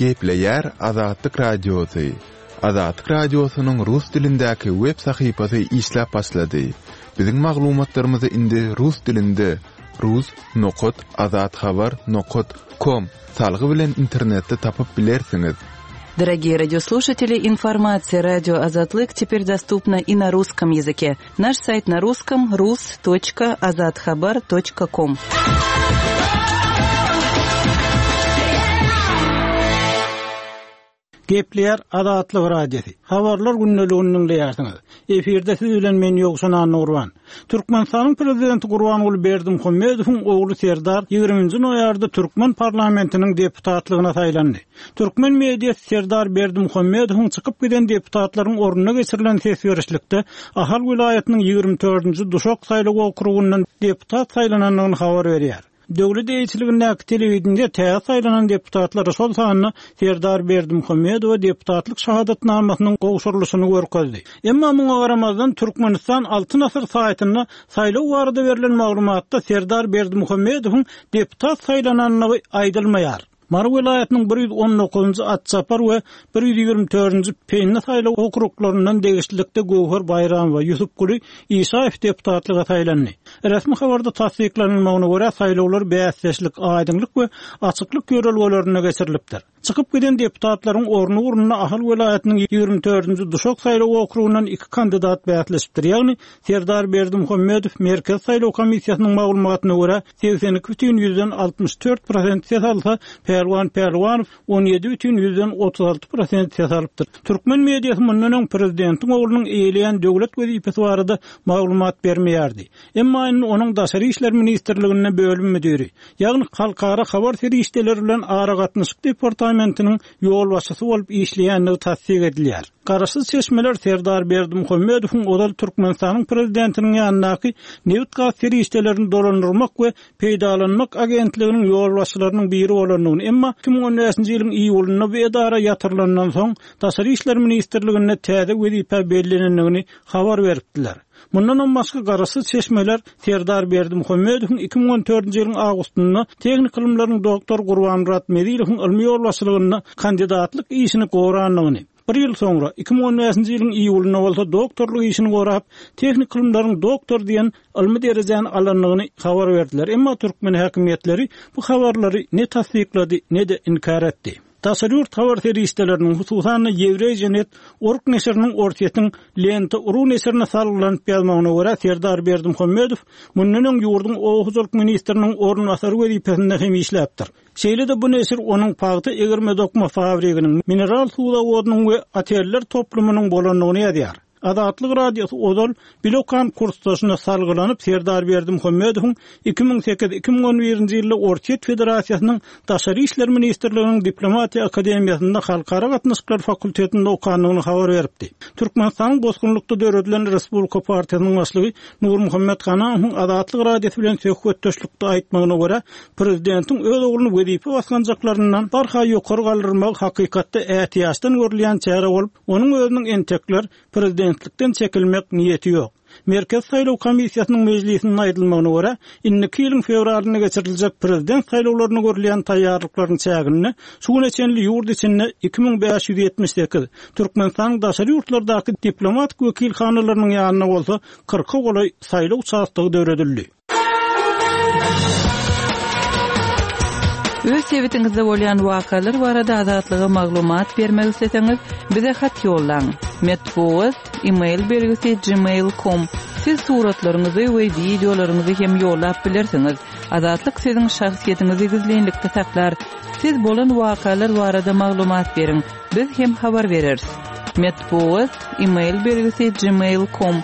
Gepleýär Azatlyk Radiosy. Azatlyk Radiosynyň rus dilindäki web sahypasy işläp başlady. Biziň maglumatlarymyzy indi rus dilinde rus nokat azathabar nokat kom salgy bilen internetde tapyp bilersiňiz. Дорогие радиослушатели, информация радио Азатлык теперь доступна и на русском языке. Наш сайт на русском rus.azathabar.com. Gepleýär Azatlyk Radiosy. Habarlar gündeligini diňleýärsiňiz. Efirde siz bilen men Ýowşan Annagurban. Türkmenistanyň Prezidenti Gurbanguly Berdimuhamedowyň ogly Serdar 20-nji noýabrda türkmen parlamentiniň deputatlygyna saýlandy. Türkmen mediasy Serdar Berdimuhamedowyň çykyp giden deputatlaryň ornuna geçirilen ses berişlikde Ahal welaýatynyň 24-nji Duşak saýlaw okrugyndan deputat saýlanandygyny habar berýär. Döwlet eýeçiligindäki telewideniýe täze saýlanan deputatlara, şol sanda Serdar Berdimuhamedowa deputatlyk şahadatnamasynyň gowşurylyşyny görkezdi. Emma muňa garamazdan, Türkmenistan Altyn asyr saýtynda saýlaw barada berlen maglumatda Serdar Berdimuhamedowyň deputat saýlanandygy aýdylmaýar. Mary welaýatynyň 119-njy Atçapar we 124-nji Pendi saýlaw okruglaryndan degişlilikde Göwher Baýramowa, Ýusupguly Işaýew deputatlyga saýlandy. Resmi habarda tassyklanylmagyna görä, saýlawlar bäsdeşlik, aýdyňlyk we açyklyk ýörelgelerinde geçirilipdir. Çykyp giden deputatlaryň orny ugrunda Ahal welaýatynyň 24-nji Duşak saýlaw okrugyndan iki kandidat bäsleşipdir, ýagny Serdar Berdimuhamedow Merkezi saýlaw komissiýasynyň maglumatyna görä, 82 bütin ýüzden 64 prosent ses alsa, Pälwan Pälwanow 17 bütin ýüzden 36 prosent ses alypdyr. Türkmen mediasy mundan öň prezidentiň oglunyň eýeleýän döwlet wezipesi barada maglumat bermeýärdi. Emma indi onuň Daşary işler ministrliginde bölüm müdiri, ýagny Halkara habar serişdeleri bilen aragatnaşyk departamentiniň ýolbaşçysy bolup işleýändigi tassyk edilýär. Garaşsyz çeşmeler Serdar Berdimuhamedowyň ozal Türkmenistanyň Prezidentiniň ýanyndaky Nebit-gaz serişdelerini dolandyrmak we peýdalanmak agentliginiň ýolbaşçylarynyň biri bolandygyny, emma 2015-nji ýylyň iýulynda bu edara ýatyrylandan soň Daşary işler ministrliginde täze wezipä bellenendigini habar beripdiler. Mundanam başga garaşsyz çeşmeler Serdar Berdimuhamedowyň 2014-nji ýylyň awgustynda tehniki ylymlaryň doktory Gurbanmyrat Mezilowyň ylmy ýolbaşçylygynda kandidatlyk işini gorandygyny, bir ýyl soňra, 2015-nji ýylyň iýulynda bolsa doktorlyk işini gorap, tehniki ylymlaryň doktory diýen ylmy derejäni alandygyny habar berdiler. Emma türkmen häkimiýetleri bu habarlary ne tassyklady, ne-de inkär etdi. Daşary ýurt habar serişdeleriniň, hususan-da Ýewreýje net org neşiriniň Orsýetiň Lenta ru neşirine salgylanyp ýazmagyna görä, Serdar Berdimuhamedow mundan öň ýurduň oba hojalyk ministriniň orunbasary wezipesinde hem işläpdir. Şeýle-de bu neşir onuň pagta egirme-dokma fabriginiň, mineral suw zawodynyň we oteller toplumynyň bolandygyny ýazýar. Azatlyk Radiosy ozal bile okan kursdaşyna salgylanyp, Serdar Berdimuhamedowyň 2008, 2011-nji ýylda Orsýet Federasiýasynyň Daşary işler ministrliginiň Diplomatiýa akademiýasynda Halkara gatnaşyklary fakultetinde okandygyny habar beripdi. Türkmenistanyň bosgunlykda döredilen Respublika partiýasynyň başlygy Nurmuhammet Ganamowyň Azatlyk Radiosy bilen söhbetdeşlikde aýtmagyna görä, prezidentiň öz ogluny wezipe basgançaklaryndan barha ýokary galdyrmagy hakykatda ätiýaçdan görülýän çäre bolup, Onuň özüniň entekler prezidentlikden çekilmek niýeti ýok. Merkezi saýlaw komissiýasynyň mejlisinde aýdylmagyna görä, indiki ýylyň fewralynda geçiriljek prezident saýlawlaryna görülýän taýýarlyklaryň çäginde şu güne çenli ýurt içinde 2578, Türkmenistanyň daşary ýurtlardaky diplomatik wekilhanalarynyň ýanynda bolsa kyrka golaý saýlaw uçastogy döredildi. Öz sebitiňizde bolýan wakalar barada Azatlyga maglumat bermek isleseňiz, bize hat ýollaň. Metbugat, e-mail belgisi gmail.com. Siz suratlaryňyzy we wideolaryňyzy hem ýollap bilersiňiz. Azatlyk siziň şahsyýetiňizi gizlinlikde saklar. Siz bolan wakalar barada maglumat beriň, biz hem habar bereris. Metbugat, e-mail belgisi gmail.com.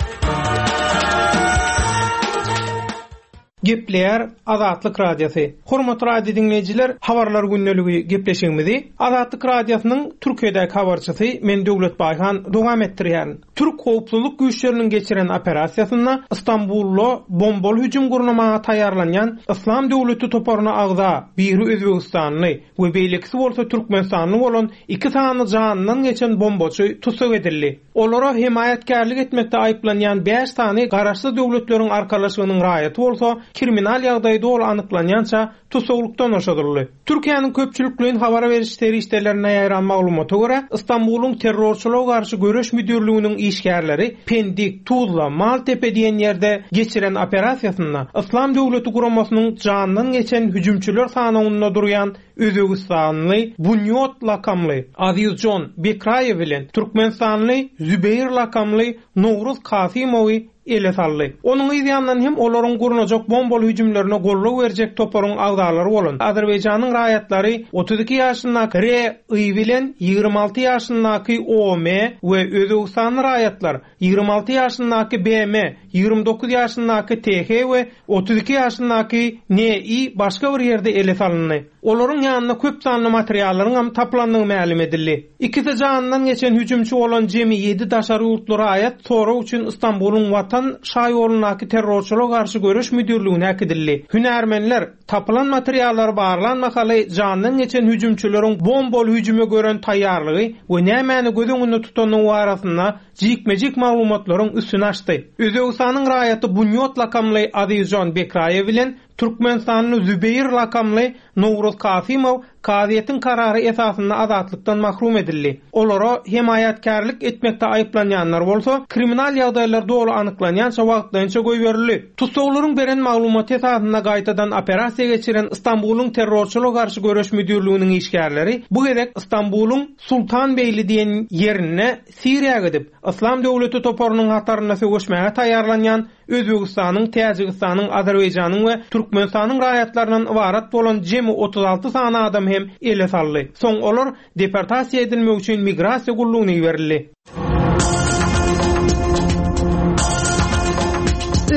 Gepleýär Azatlyk Radiosy. Hormatly radio diňleýjiler, Habarlar gündeligi gepleşigimizi Azatlyk Radiosynyň Türkiýedäki habarçysy men Döwlet Baýhan dowam etdirýärin. Türk howpsuzlyk güýçleriniň geçiren operasiýasynda Stambulda bombaly hüjüm gurnamaga taýýarlanýan Yslam döwleti toparyna agza biri özbegistanly we beýlekisi bolsa türkmenistanly bolan iki sany janyndan geçen bombaçy tussag edildi. Olara hemaýatkärlik etmekde aýyplanýan bäş sany Garaşsyz Döwletleriň Arkalaşygynyň raýaty bolsa. kriminal ýagdaýy doly anyklanýança tussaglykdan boşadyldy. Türkiýäniň köpçülikleýin habar beriş serişdelerinde ýaýran maglumata görä, Stambulyň terrorçylyga garşy göreş müdirliginiň işgärleri Pendik, Tuzla, Maltepe diýen ýerde geçiren operasiýasynda Yslam döwleti guramasynyň jandan geçen hüjümçiler sanawynda durýan özbegistanly Bunýod lakamly Azizjon Bekraýew bilen türkmenistanly Zübeýir lakamly Nowruz Kasymowy ele saldy. Onuň yz ýanyndan hem olaryň gurnajak bombaly hüjümlerine goldaw berjek toparyň agzalary bolan Azerbaýjanyň raýatlary 32 ýaşyndaky RI bilen 26 ýaşyndaky OM we özbegistanly raýatlar 26 ýaşyndaky BM, 29 ýaşyndaky TH we 32 ýaşyndaky NI başga bir ýerde ele salyndy. Olaryň ýanynda köp sanly materiallaryňam tapylandygy mälim edildi. Ikisi janyndan geçen hüjümçi bolan jemi ýedi daşary ýurtly raýat sorag üçin Stambulyň Watan şaýolundaky terrorçylyga garşy göreş müdirligine äkidildi. Hünärmenler, tapylan materiallary barlan mahaly jandan geçen hüjümçileriň bombaly hüjüme gören taýýarlygy we nämäni göz öňünde tutandygy barasynda jikme-jik maglumatlaryň üstüni açdy. Özbegistanyň raýaty Bunýod lakamly Azizjon Bekraýew bilen Türkmenistanly Zübeýir lakamly Nowruz Kasymow kazyýetiň karary esasynda azatlykdan mahrum edildi. Olara hemaýatkärlik etmekde aýyplanýanlar bolsa, kriminal ýagdaýlar doly anyklanýança wagtlaýynça goýberildi. Tussaglaryň beren maglumaty esasynda gaýtadan operasiýa geçiren Stambulyň terrorçylyga garşy göreş müdirliginiň işgärleri bu gezek Stambulyň Sultanbeýli diýen ýerinde Siriýa gidip, Yslam döwleti toparynyň hatarynda söweşmäge taýýarlanýan Özbegistanyň, Täjigistanyň, Azerbaýjanyň we Türkmenistanyň raýatlaryndan ybarat bolan jemi 36 sany adam hem ele saldy. Soň olar deportasiýa edilmek üçin migrasiýa gullugyna iberildi.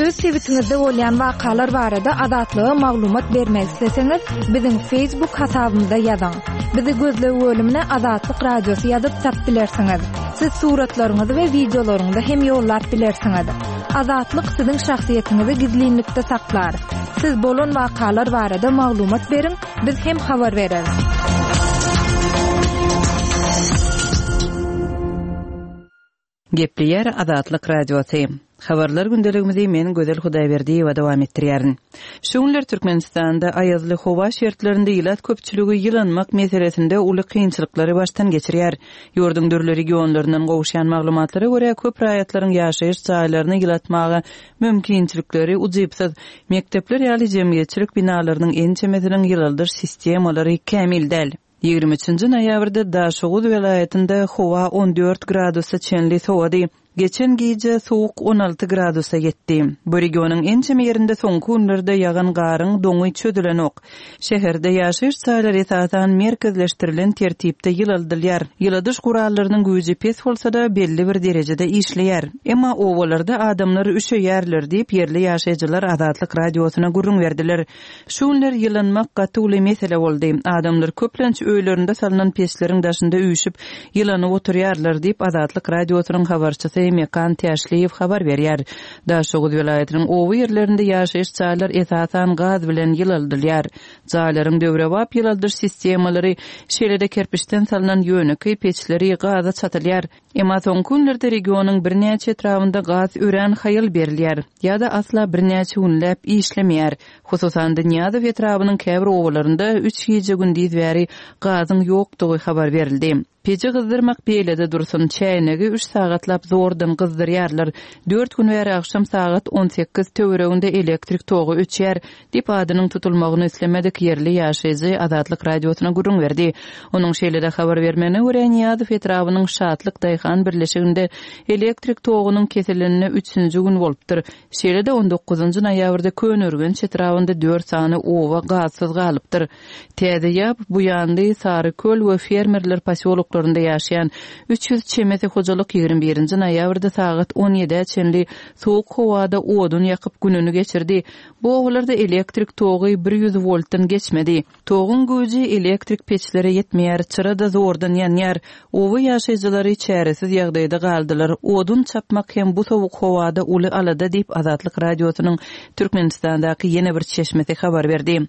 Öz sebitiňizde bolýan wakalar barada Azatlyga maglumat bermek isleseňiz, biziň Facebook hasabymyza ýazyň. Bizi gözleg bölümine Azatlyk Radiosy ýazyp tap bilersiňiz. Siz suratlaryňyzy we wideolaryňyzy hem ýollap bilersiňiz. Azatlyk siziň şahsyýetiňizi gizlinlikde saklar. Siz bolan wakalar barada maglumat beriň, biz hem habar bereris. Gepleýär Azatlyk Radiosy. Habarlar gündeligimizi men Gözel Hudaýberdiýewa dowam etdirýärin. Şu günler Türkmenistanda aýazly howa şertlerinde ilat köpçüligi ýylanmak meselesinde uly kynçylyklary başdan geçirýär. Ýurduň dürli regionlaryndan gowuşýan maglumatlara görä, köp raýatlaryň ýaşaýyş jaýlaryny ýylatmaga mümkinçilikleri ujypsyz. Mekdepler ýaly jemgyýetçilik binalarynyň ençemesiniň ýylaldyş sistemalary kämil däl. 23-nji noýabrda Daşoguz welaýatynda howa 14 gradusa çenli sowady. Geçen gije sowuk 16 gradusa ýetdi. Bu regionyň ençeme ýerinde soňky günlerde ýagan garyň doňy çözülenok. Şäherde ýaşaýyş jaýlary esasan merkezleşdirilen tertipde ýylaldylýar. Ýyladyş gurallarynyň güýji pes bolsa-da, belli bir derejede işleýär. Emma obalarda adamlar üşeýärler diýip, ýerli ýaşaýjylar Azatlyk Radiosyna gürrüň berdiler. Şu günler ýylanmak gaty uly mesele boldy. Adamlar köplenç öýlerinde salnan peçleriň daşynda üýşüp, ýylanyp oturýarlar diýip, Azatlyk Radiosynyň habarçysy Mekan Täşliýew habar berýär. Daşoguz welaýatynyň oba ýerlerinde ýaşaýyş jaýlar esasan gaz bilen ýylaldylýar. Jaýlaryň döwrebap ýylaldyş sistemalary, şeýle-de kerpiçden salnan ýönekeý peçleri gaza çatylýar. Emma soňky günlerde regionyň birnäçe etrabynda gaz örän haýal berilýär ýa-da asla birnäçe günläp işlemeýär. Hususan-da, Nyýazow etrabynyň käbir obalarynda üç gije-gündiz bäri gazyň ýokdugy habar berildi. Peji gyzdyrmak beýlede dursun, çäýnegi üç sagatlap zordan gyzdyrýarlar. Dört gün bäri agşam sagat 18 töwereginde elektrik togy öçýär. Diýip, adynyň tutulmagyny islemedik ýerli ýaşaýjy Azatlyk Radiosyna gürrüň berdi. Onuň şeýle-de habar bermegine görä, Nyýazow etrabynyň Şatlyk daýhan birleşiginde elektrik togunyň kesilenine üçünji gün bolupdyr. Şeýle-de on dokuzynjy noýabrda Köneürgenç etrabynda dört sany oba gazsyz galypdyr. Täze Ýap, Buýanly, Saryköl we Fermerler posýoloklarynda ýaşaýan 300 çemesi hojalyk 21-nji noýabrda sagat on ýedä çenli sowuk howada odun ýakyp gününi geçirdi. Bu obalarda elektrik togy 100 woltdan geçmedi. Toguň güýji elektrik peçlere ýetmeýär, çyra-da zordan ýanýar. Oba ýaşaýjylary çäresiz ýagdaýda galdylar. Odun çapmak hem bu sowuk howada uly alada diýip, Azatlyk Radiosynyň Türkmenistandaky ýene bir çeşmesi habar berdi.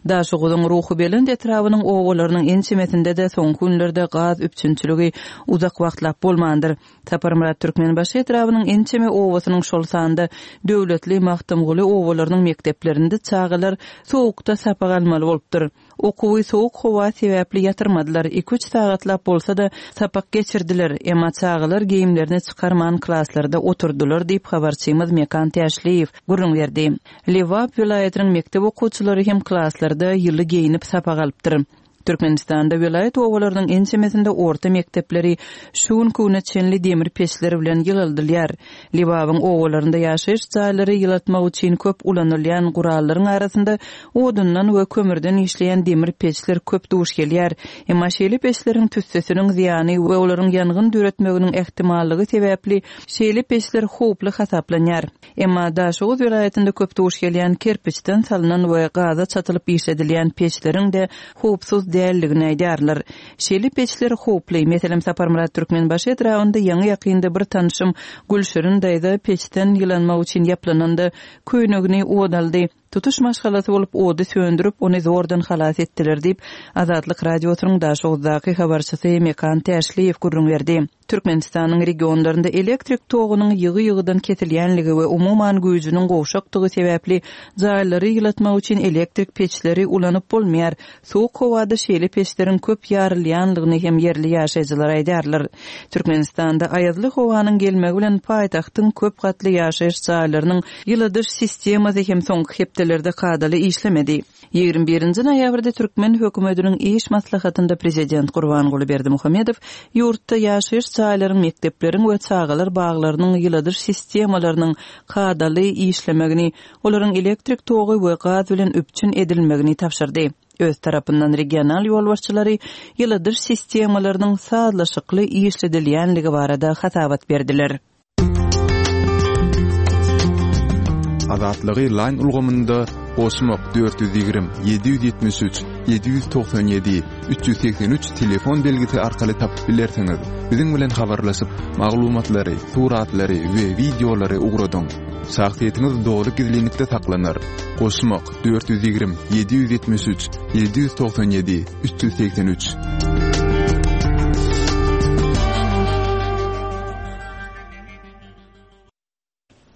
Daşoguzyň Ruhubelent etrabynyň obalarynyň ençemesinde-de soňky günlerde gaz. üpjünçiligi uzak wagtlap bolmandyr. Saparmyrat Türkmenbaşy etrabynyň ençeme obasynyň şol sanda Döwletli, Magtymguly obalarynyň mekdeplerinde çagalar sowukda sapak almaly bolupdyr. Okuwy sowuk howa sebäpli ýatyrmadylar, iki-üç sagatlap bolsa-da, sapak geçirdiler, emma çagalar geýimlerini çykarman klaslarda oturdylar diýip, habarçymyz Mekan Täşliýew gürrüň berdi. Lebap welaýatynyň mekdep okuwçylary hem klaslarda ýyly geýnip sapak alypdyr. Türkmenistanda welaýat obalarynyň ençemesinde orta mekdepleri şu günki güne çenli demir peçler bilen ýylaldylýar. Lebabyň obalarynda ýaşaýyş jaýlary ýylatmak üçin köp ulanylýan gurallaryň arasynda odundan we kömürden işleýän demir peçler köp duş gelýär. Emma şeýle peçleriň tüssesiniň zyýany we olaryň ýangyn döretmeginiň ähtimallygy sebäpli şeýle peçler howply hasaplanýar. Emma Daşoguz welaýatynda köp duş gelýän kerpiçden salnan we gaza çatylyp işledilýän peçleriň-de howpsuz däldigini aýdýarlar. Şeýle peçler howply. Meselem, Saparmyrat Türkmenbaşy etrabynda ýaňy-ýakynda bir tanyşym Gülşirin daýza peçden ýylanmak üçin ýaplananda, köýnegini ot aldy. Tutuş maşgalasy bolup ody söndürip, ony zordan halas etdiler diýip, Azatlyk Radiosynyň Daşoguzdaky habarçysy Mekan Täşliýew gürrüň berdi. Türkmenistanyň regionlarynda elektrik togunyň ýygy-ýygydan kesilýänligi we umuman güýjüniň gowşakdygy sebäpli jaýlary ýylatmak üçin elektrik peçleri ulanyp bolmaýar. Sowuk howada şeýle peçleriň köp ýarylýanlygyny hem ýerli ýaşaýjylar aýdýarlar. Türkmenistanda aýazly howanyň gelmegi bilen paýtagtyň köp gatly ýaşaýyş jaýlarynyň ýyladyş sistemasy hem soňky hepdelerde kadaly işlemedi. 21-nji noýabrda türkmen hökümetiniň iş maslahatynda prezident Gurbanguly Berdimuhamedow ýurtda ýaşaýyş jaýlaryň, mekdepleriň we çagalar baglarynyň ýyladyş sistemalarynyň kadaly işlemegini, olaryň elektrik togy we gaz bilen üpjün edilmegini tabşyrdy. Öz tarapyndan regional ýolbaşçylary ýyladyş sistemalarynyň sazlaşykly işledilýänligi barada hasabat berdiler. Azatlygy Line ulgamynda goşmak 420 773 797 383 telefon belgisi arkaly tapyp bilersiňiz. Biziň bilen habarlaşyp, maglumatlary, suratlary we wideolary ugradyň. Şahsyýetiňiz doly gizlinlikde saklanar. Goşmak 420 773 797 383.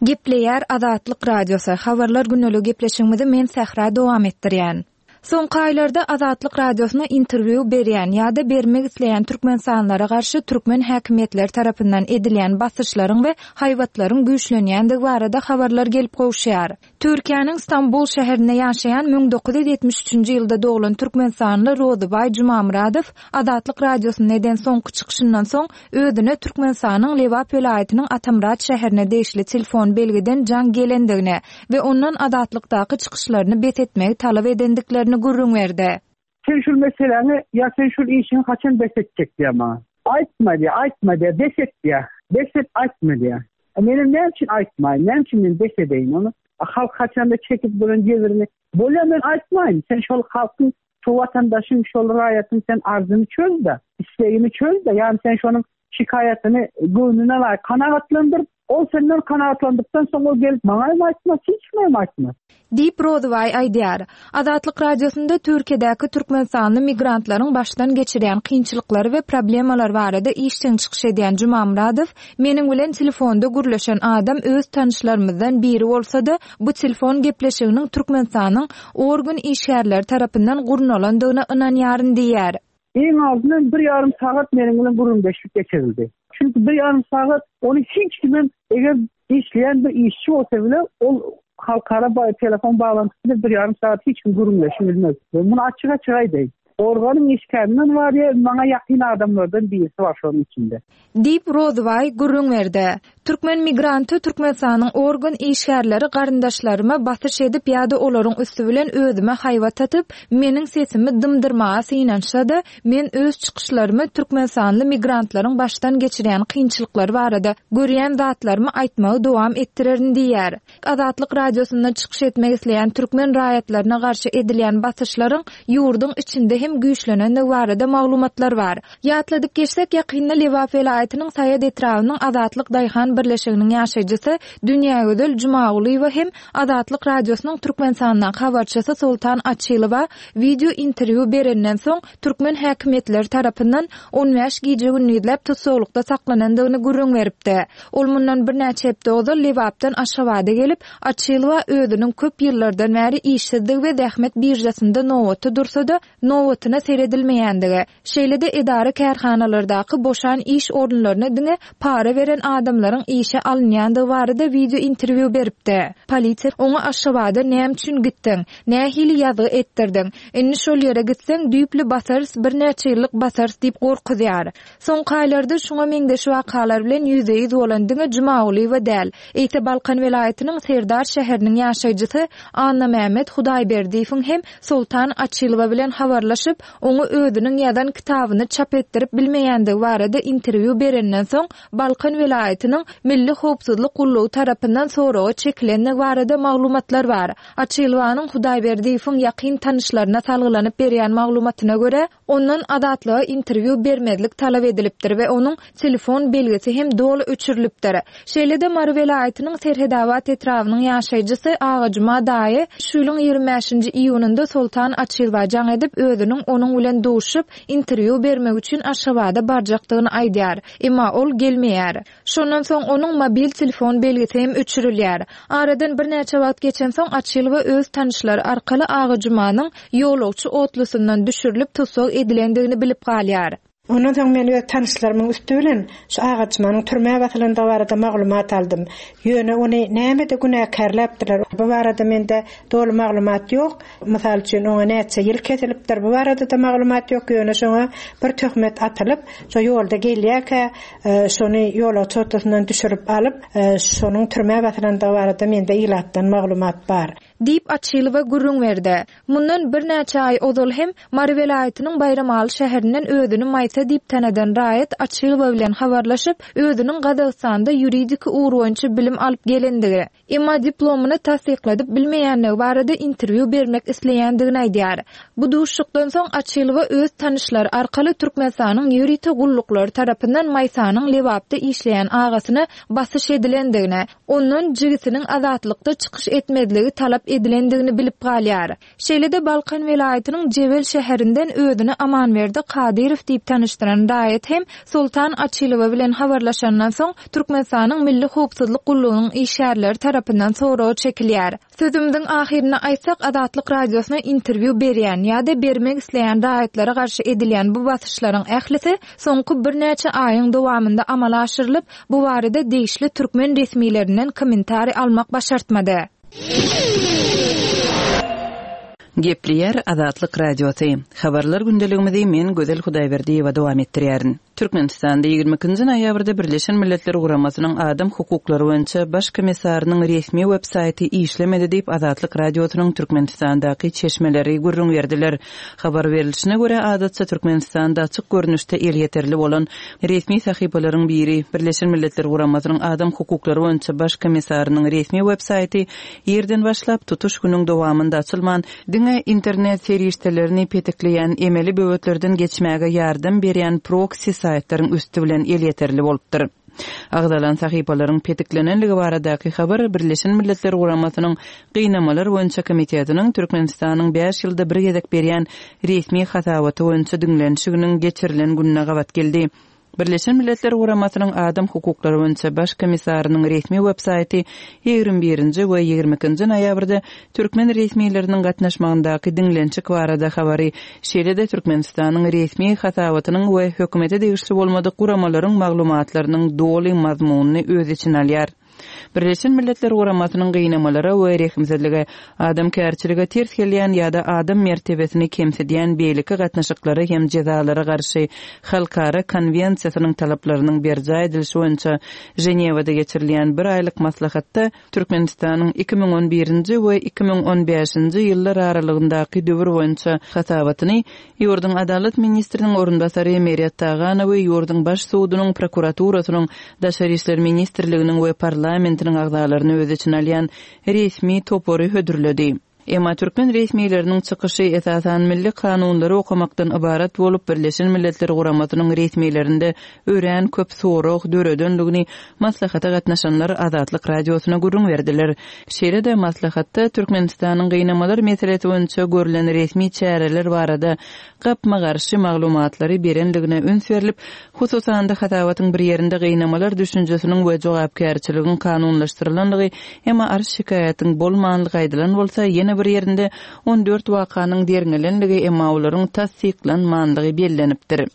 Gepleýär Azatlyk Radiosy, Habarlar gündeligi gepleşigimizi men Sähra dowam etdirýän. Soňky aýlarda Azatlyk Radiosyna interwýu berýän ýa-da bermek isleýän türkmenistanlylara garşy türkmen häkimiýetleri tarapyndan edilýän basyşlaryň we haýbatlaryň güýçlenýändigi barada habarlar gelip gowuşýar. Türkiýäniň Stambul şäherinde ýaşaýan 1973-nji ýylda doglan türkmenistanly Rozybaý Jumamyradow Azatlyk Radiosynda eden soňky çykyşyndan soň özüne Türkmenistanyň Lebap welaýatynyň Atamyrat şäherine degişli telefon belgiden jaň gelendigini we ondan Azatlykdaky çykyşlaryny bes etmegi talap edendiklerini gürrüň berdi. Sen şul meseläňi ýa sen şul işiňi haçan bes etjek diýýär maňa. Aýtma diýýär, aýtma diýýär, bes et diýýär. Bes et, aýtma diýýär. A menem näme üçin aýtmaýyn, näme üçin men bes edeýin ony? A halk haçanda çekip duran jebrini, bolýa men aýtmaýyn, sen şol halkyň, şu watandaşyň, şol raýatyň sen arzyny çöz-de, islegini çöz-de, ýagny sen şonuň şikaýatyny göwnüne laýyk kanagatlandyr, ol senden kanagatlandykdan soň ol gelip maňa hem aýtmaz, hiç kime hem aýtmaz. Diýip, Rozybaý aýdýar. Azatlyk Radiosynda Türkiýedäki türkmenistanly migrantlaryň başdan geçirýän kynçylyklary we problemalary barada işjeň çykyş edýän Jumamyradow Meniň bilen telefonda gürleşen adam öz tanyşlarymyzdan biri bolsa-da, bu telefon gepleşiginiň Türkmenistanyň organ işgärleri tarapyndan gurnalandygyna ynanýaryn diýýär. Iň azyndan bir ýarym sagat meniň bilen gürrüňdeşlik geçirildi. Çünki bir ýarym sagat ony hiç kimem eger işleýän bir işçi bolsa bile ol halkara telefon baglantysy bilen bir ýarym sagat hiç kim gürrüňleşip bilmez. Muny açyk-açyk aýdaýyn. Organyň işgärinden bar ýa maňa ýakyn adamlardan birisi bar şonuň içinde. Diýip, Rozybaý gürrüň berdi. Türkmen migranty Türkmenistanyň organ işgärleri garyndaşlaryma basyş edip ýa-da olaryň üsti bilen özüme haýbat atyp, meniň sesimi dymdyrmaga synanyşsa-da, men öz çykyşlarymy türkmenistanly migrantlaryň başdan geçirýän kynçylyklary barada görýän zatlarymy aýtmagy dowam etdirerin diýýär. Azatlyk Radiosynda çykyş etmek isleýän türkmen raýatlaryna garşy edilýän basyşlaryň ýurduň içinde hem. hem güýçlenendigi barada maglumatlar bar. Ýatladyp geçsek, ýakynda Lebap welaýatynyň Saýat etrabynyň Azatlyk daýhan birleşiginiň ýaşaýjysy Dünýägözel Jumagulyýewa hem Azatlyk Radiosynyň Türkmenistandaky habarçysy Soltan Açylowa wideo interwýu berenden soň, türkmen häkimiýetleri tarapyndan on bäş gije-gündizläp tussaglykda saklanandygyny gürrüň beripdi. Ol mundan birnäçe hepde ozal Lebapdan Aşgabada gelip, Açylowa özüniň köp ýyllardan bäri işsizdigi we zähmet biržasynda nobatda dursa-da, nobatyna seredilmeýändigi, şeýle-de edara-kärhanalardaky boşan iş orunlaryna diňe para beren adamlaryň işe alynýandygy barada wideo interwýu beripdi. Polisiýa oňa Aşgabada näme üçin gitdiň? Nähili ýazgy etdirdiň? Indi şol ýere gitseň, düýpli basarys, birnäçe ýyllyk basarys diýip gorkuzýar. Soňky aýlarda şuňa meňzeş wakalar bilen ýüzbe-ýüz bolan diňe Jumagulyýewa däl, eýse Balkan welaýatynyň Serdar şäheriniň ýaşaýjysy Annamämmet Hudaýberdiýewiň hem Soltan Açylowa bilen habarlaşyp, oňa özüniň ýazan kitabyny çap etdirip bilmeýändigi barada interwýu berenden soň, Balkan welaýatynyň Milli howpsuzlyk gullugy tarapyndan soraga çekilendigi barada maglumatlar bar. Açylowanyň Hudaýberdiýewiň ýakyn tanyşlaryna salgylanyp berýän maglumatyna görä, ondan Azatlyga interwýu bermezlik talap edilipdir we onuň telefon belgisi hem doly öçürilipdir. Şeýle-de Mary welaýatynyň Serhedabat etrabynyň ýaşaýjysy Agajuma daýy şu ýylyň 25-nji iýunynda Soltan Açylowa jaň edip, özüniň onuň bilen duşup, interwýu bermek üçin Aşgabada barjakdygyny aýdýar. Emma ol gelmeýär. Şondan soň onuň mobil telefon belgisi hem öçürilýär. Aradan birnäçe wagt geçensoň Açylowa öz tanyşlary arkaly Agajumanyň ýolagçy otlusyndan düşürilip tussag edilendigini bilip galýar. Ondan soň men öz tanyşlarymyň üsti bilen şu Agajumanyň türmä basylandygy barada maglumat aldym. Ýöne ony nämede günäkärläpdirler, bu barada mende doly maglumat ýok. Mysal üçin, oňa näçe ýyl kesilipdir, bu barada-da maglumat ýok, ýöne şoňa bir töhmet atylyp, şo ýolda gelýärkä, şony ýolagçy otlusyndan düşürip alyp, şonuň türmä basylandygy barada mende ilatdan maglumat bar. Diýip, Açylowa gürrüň berdi. Mundan birnäçe aý ozal hem Mary welaýatynyň Baýramaly şäherinden özüni Maýsa diýip tanadan raýat Açylowa bilen habarlaşyp, özüniň Gazagystanda ýuridiki ugur boýunça bilim alyp gelendigi, Emma diplomyny tassykladyp bilmeýänligi barada interwýu bermek isleýändigini aýdýar. Bu duşuşykdan soň Açylowa öz tanyşlary arkaly Türkmenistanyň ýörite gulluklary tarapyndan Maýsanyň Lebapda işleýän agasyna basyş edilendigini, ondan jigisiniň Azatlykda çykyş etmezligi talap edilendigini bilip galýar. Şeýle-de Balkan welaýatynyň Jebel şäherinden özüni Amanberdi Kadyrow diýip tanyşdyran raýat hem Soltan Açylowa bilen habarlaşandan soň, Türkmenistanyň Milli howpsuzlyk gullugynyň işgärleri tarapyndan soraga çekilýär. Sözümiziň ahyrynda aýtsak, Azatlyk Radiosyna interwýu berýän ýa-da bermek isleýän raýatlara garşy edilýän bu basyşlaryň ählisi soňky birnäçe aýyň dowamynda amala aşyrylyp, bu barada degişli türkmen resmilerinden kommentariý almak başartmady. Gepleýär Azatlyk Radiosy. Habarlar gündeligimizi men Gözel Hudaýberdiýewa dowam etdirýärin. Türkmenistanda 22-nji noýabrda Birleşen Milletler Guramasynyň Adam hukuklary boýunça Baş komissarynyň resmi web saýty işlemedi diýip Azatlyk Radiosynyň Türkmenistandaky çeşmeleri gürrüň berdiler. Habar berlişine görä, adatça Türkmenistanda açyk görnüşde elýeterli bolan resmi sahypalaryň biri, Birleşen Milletler Guramasynyň Adam hukuklary boýunça Baş komissarynyň resmi web saýty irden başlap, tutuş günüň dowamynda açylman, diňe internet serişdelerini petikleýän emeli böwetlerden geçmäge ýardam berýän proksi saýtlaryň üsti bilen elýeterli bolupdyr. Agzalan sahypalaryň petiklenenligi baradaky habar Birleşen Milletler Guramasynyň Gynamalar boýunça komitetiniň Türkmenistanyň bäş ýylda bir gezek berýän resmi hasabaty boýunça diňlenişiginiň geçirilen gününe gabat geldi. Birleşen Milletler Guramasynyň Adam hukuklary boýunça Baş komissarynyň resmi web-saýty 21-nji we 22-nji noýabrda türkmen resmileriniň gatnaşmagyndaky diňlenişik barada habary, şeýle-de Türkmenistanyň resmi hasabatynyň we hökümete degişli bolmadyk guramalaryň maglumatlarynyň doly mazmunyny öz içine alýar. Birleşen Milletler Guramasynyň gynamalara we rehimsizlige, adamkärçilige ters gelýän ýa-da adam mertebesini kemsidýän beýleki gatnaşyklara hem jezalara garşy halkara konwensiýasynyň talaplarynyň berjaý edilişi boýunça Ženewada geçirilýän bir aýlyk maslahatda Türkmenistanyň 2011-nji we 2015-nji ýyllar aralygyndaky döwür boýunça hasabatyny ýurduň Adalat ministriniň orunbasary Meret Taganowy ýurduň Baş sudunyň, prokuraturasynyň, Daşary işler ministrliginiň we parlamentiniň agzalaryny öz içine alýan resmi topary hödürledi. Emma türkmen resmileriniň çykyşy esasan milli kanunlary okamakdan ybarat bolup, Birleşen Milletler Guramasynyň resmilerinde örän köp sorag döredendigini maslahata gatnaşanlar Azatlyk Radiosyna gürrüň berdiler. Şeýle-de maslahatda Türkmenistanyň gynamalar meselesi boýunça görlen resmi çäreler barada gapma-garşy maglumatlary berendigine üns berlip, hususan-da hasabatyň bir ýerinde gynamalar düşünjesiniň we jogapkärçiligiň kanunlaşdyrylandygy, emma arz-şikaýatyň bolmanlygy aýdylan bolsa, ýene bir ýerinde 14 wakanyň derňelenligi, emma olaryň tassyklanmanlygy bellenipdir.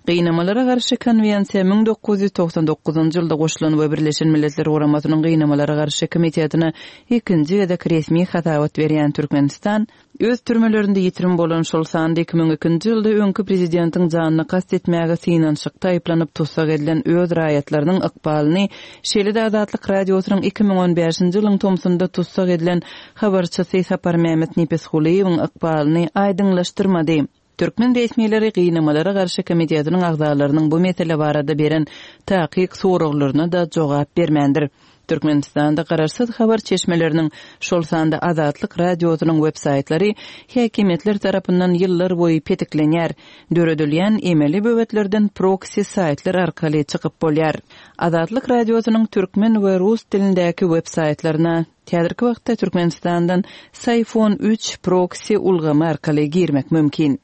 Gynamalara garşy konwensiýa 1999-njy ýylda goşulan we Birleşen Milletler Guramasynyň Gynamalara garşy komitetine ikinji gezek resmi hasabat berýän Türkmenistan, öz türmelerinde ýitirim bolan, şol sanda 2002-nji ýylda öňki prezidentiň janyna kast etmäge synanyşykda aýyplanyp tussag edilen öz raýatlarynyň ykbalyny, şeýle-de Azatlyk Radiosynyň 2015-nji ýylyň tomsunda tussag edilen habarçysy Saparmämmet Nepesgulyýewiň ykbalyny aýdyňlaşdyrmady. Türkmen resmileri Gynamalara garşy komitetiniň agzalarynyň bu mesele barada beren takyk soraglaryna-da jogap bermändir. Türkmenistanda garaşsyz habar çeşmeleriniň, şol sanda Azatlyk Radiosynyň websaýtlary häkimiýetler tarapyndan ýyllarboýy petiklenýär. Döredilýän emeli böwetlerden proksi saýtlar arkaly çykyp bolýar. Azatlyk Radiosynyň türkmen we rus dilindäki websaýtlaryna Häzirki wagtda Türkmenistandan Syfon üç proksi ulgamy arkaly girmek mümkin.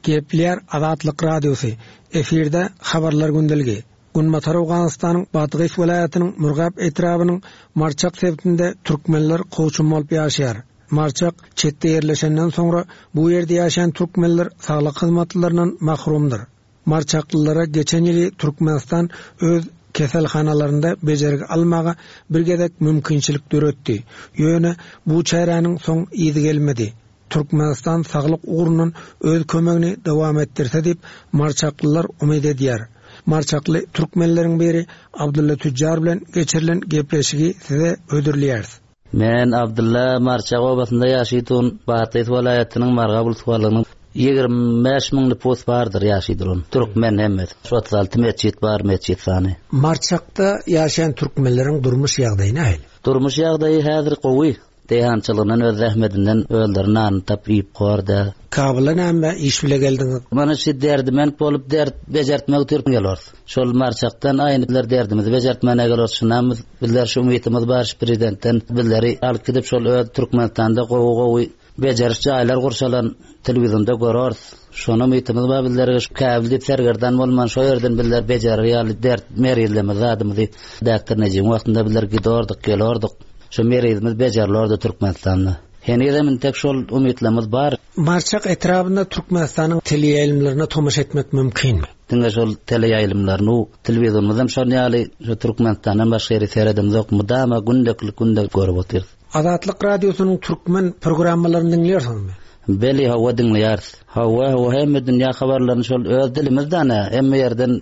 Gepleýär Azatlyk Radiosy, Efirde Habarlar gündeligi. Günbatar Owganystanyň Badgys welaýatynyň Murgap etrabynyň Marçak sebitinde türkmenler kowçum bolup ýaşaýar. Marçak çetde ýerleşenden soňra bu ýerde ýaşaýan türkmenler saglyk hyzmatlaryndan mahrumdyr. Marçaklylara geçen ýyly Türkmenistan öz keselhanalarynda bejergi almaga bir gezek mümkinçilik döretdi. Ýöne bu çäräniň soň yzy gelmedi. Türkmenistan saglyk ugrundan öz kömegini dowam etdirse diýip, marçaklylar umyt edýär. Marçakly türkmenleriň biri Abdylla tüjjar bilen geçirilen gepleşigi size hödürleýäris. Men Abdylla Marçak obasynda ýaşaýdun, Bathyz welaýatynyň Margap uluswalygynyň 25 müň nüpus bardyr ýaşaýdurun. Türkmen hemmesi. Şu 36 metjit bar, metjit sany. Marçakda ýaşaýan türkmenleriň durmuş ýagdaýy nähili? Durmuş ýagdaýy häzir gowy. Daýhançylygyndan öz zähmetinden özleri nanyny tapyp iýip kor-da. Kabula näme iş bile geldiňiz? Mana şu derdiment bolup dert bejertmek üçin gelors. Şol Marçakdan aýnyklar derdimizi bejertmäne geler şunam bizler şu umytymyz bar şu prezidentden bizleri alyp gidip şol öz Türkmenistanda gowy gowy bejeriş jaýlar gurşalan telewizonda görors şona umytymyz bar bizlerge şu Käbil diýip sergerdan bolman şo ýerden bizler bejerer ýaly dert merizlemiz zadymyzy Daktor Nejibiň wagtynda bizler gidordyk gelordyk şo merizimiz bejerilordy Türkmenistanda henizem intek şol umytlarymyz bar. Marçak etrabynda Türkmenistanyň teleýaýlymlaryna tomaşa etmek mümkinmi? Diňe şol teleýaýlymlaryny, telewizorymyzam şon ýaly, şu Türkmenistandan başga ýeri seredemzok, mydama gündeklik günde görüp otyrys. Azatlyk Radiosynyň türkmen programmalaryny diňleýärsiňizmi? Beli, hawa diňleýäris. Hawa, hawa hemme dünýä habarlaryny şol öz dilimizden-ä, hemme ýerden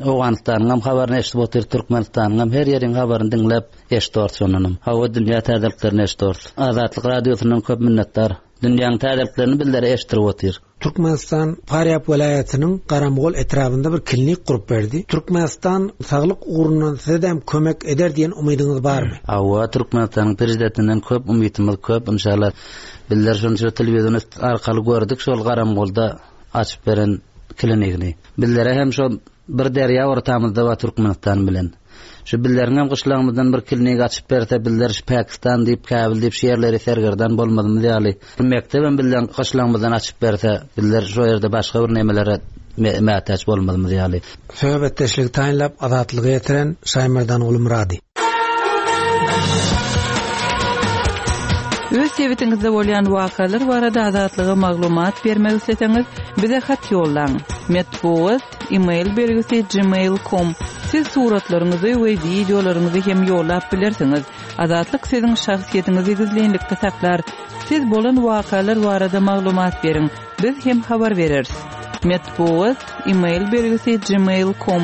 Owganystanyňam habaryny eşidip otyrys, Türkmenistanyňam her ýeriň habaryny diňläp eşidoris şondanam. Hawa dünýä täzeliklerini eşidoris. Azatlyk Radiosyndan köp minnetdar. Dünýäň täzeliklerini bizlere eşitdirip otyr. Türkmenistan Farýap welaýatynyň Garamgol etrabynda bir klinik gurup berdi. Türkmenistan saglyk ugrundan sizedem kömek eder diýen umydyňyz barmy? Hawa, Türkmenistanyň Prezidentinden köp umytymyz köp inşallah. Bizler şony şu telewizor arkaly gördük şol Garamgolda açyp beren klinigini. Bizlere hem şo Bir derýa ortamyzda bar Türkmenistan bilen. Şu bizleriňem gyşlagymyzdan bir klinik açyp berse bizler şu Pakistan diýip Käbil diýip şu ýerleri sergerdan bolmazymyz ýaly bir mekdebem bizleň gyşlagymyzdan açyp berse bizler şo ýerde başga bir nemelere mätäç bolmazymyz ýaly. Söhbetdeşligi taýynlap Azatlyga ýetiren Şaýmerdan Gulmyrady. Öz sebitiňizde bolýan wakalar barada Azatlyga maglumat bermek isleseňiz, bize hat ýollaň. Metbugat, e-mail belgisi gmail com. Siz suratlaryňyzy we wideolaryňyzy hem ýollap bilersiňiz. Azatlyk siziň şahsyýetiňizi gizlinlikde saklar. Siz bolan wakalar barada maglumat beriň, biz hem habar bereris. Metbugat, e-mail belgisi gmail com.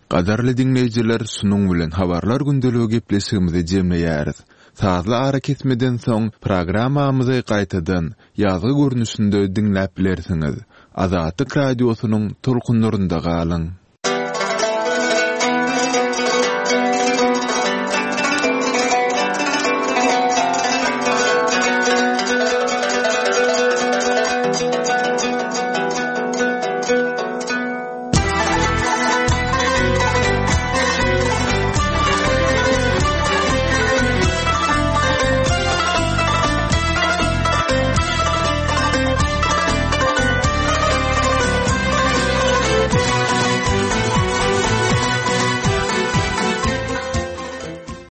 Gadyrly diňleýjiler şunuň bilen Habarlar gündeligi gepleşigimizi jemleýäris. Sazly arakesmeden soň programmamyzy gaýtadan ýazgy görnüşinde diňläp bilersiňiz. Azatlyk Radiosynyň tolkunlarynda galyň!